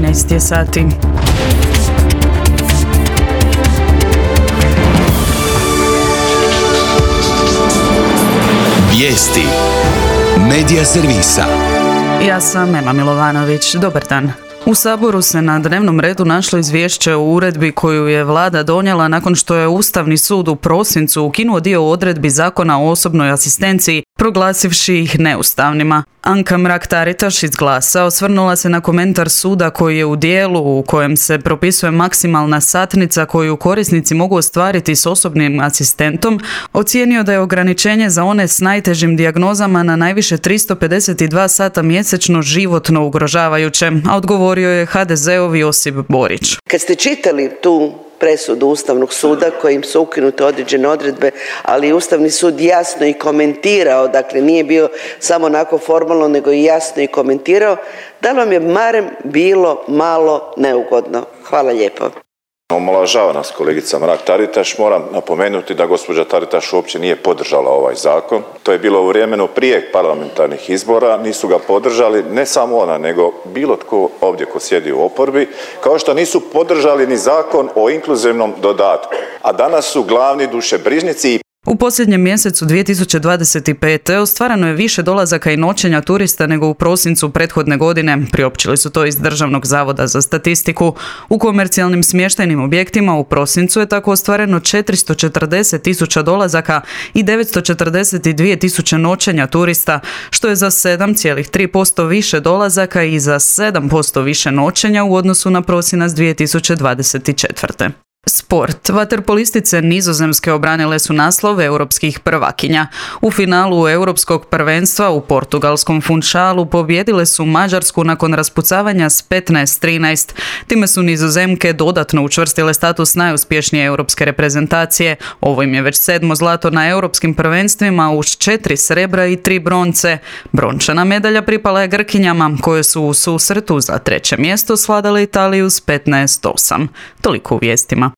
13 je sati. Vijesti Medija servisa. Ja sam Ema Milovanović. Dobar dan. U Saboru se na dnevnom redu našlo izvješće o uredbi koju je vlada donijela nakon što je Ustavni sud u prosincu ukinuo dio odredbi Zakona o osobnoj asistenciji, proglasivši ih neustavnima. Anka Mrak-Taritaš iz Glasa osvrnula se na komentar suda koji je u dijelu u kojem se propisuje maksimalna satnica koju korisnici mogu ostvariti s osobnim asistentom, ocijenio da je ograničenje za one s najtežim dijagnozama na najviše 352 sata mjesečno životno ugrožavajuće, a odgovorio je HDZ-ov Josip Borić. Kad ste čitali tu presudu Ustavnog suda kojim su ukinute određene odredbe, ali Ustavni sud jasno i komentirao, dakle nije bio samo onako formalno, nego i jasno i komentirao, da li vam je barem bilo malo neugodno? Hvala lijepo. Omalovažava nas kolegica Mrak-Taritaš. Moram napomenuti da gospođa Taritaš uopće nije podržala ovaj zakon. To je bilo u vremenu prije parlamentarnih izbora, nisu ga podržali ne samo ona, nego bilo tko ovdje ko sjedi u oporbi, kao što nisu podržali ni zakon o inkluzivnom dodatku, a danas su glavni dušebrižnici. U posljednjem mjesecu 2025. ostvarano je više dolazaka i noćenja turista nego u prosincu prethodne godine, priopćili su to iz Državnog zavoda za statistiku. U komercijalnim smještajnim objektima u prosincu je tako ostvareno 440.000 dolazaka i 942.000 noćenja turista, što je za 7,3% više dolazaka i za 7% više noćenja u odnosu na prosinac 2024. Sport. Vaterpolistice Nizozemske obranile su naslov europskih prvakinja. U finalu europskog prvenstva u portugalskom Funchalu pobijedile su Mađarsku nakon raspucavanja s 15-13. Time su Nizozemke dodatno učvrstile status najuspješnije europske reprezentacije. Ovo im je već 7. zlato na europskim prvenstvima uz 4 srebra i 3 bronce. Brončana medalja pripala je Grkinjama, koje su u susretu za 3. mjesto svladale Italiju s 15-8. Toliko u vijestima.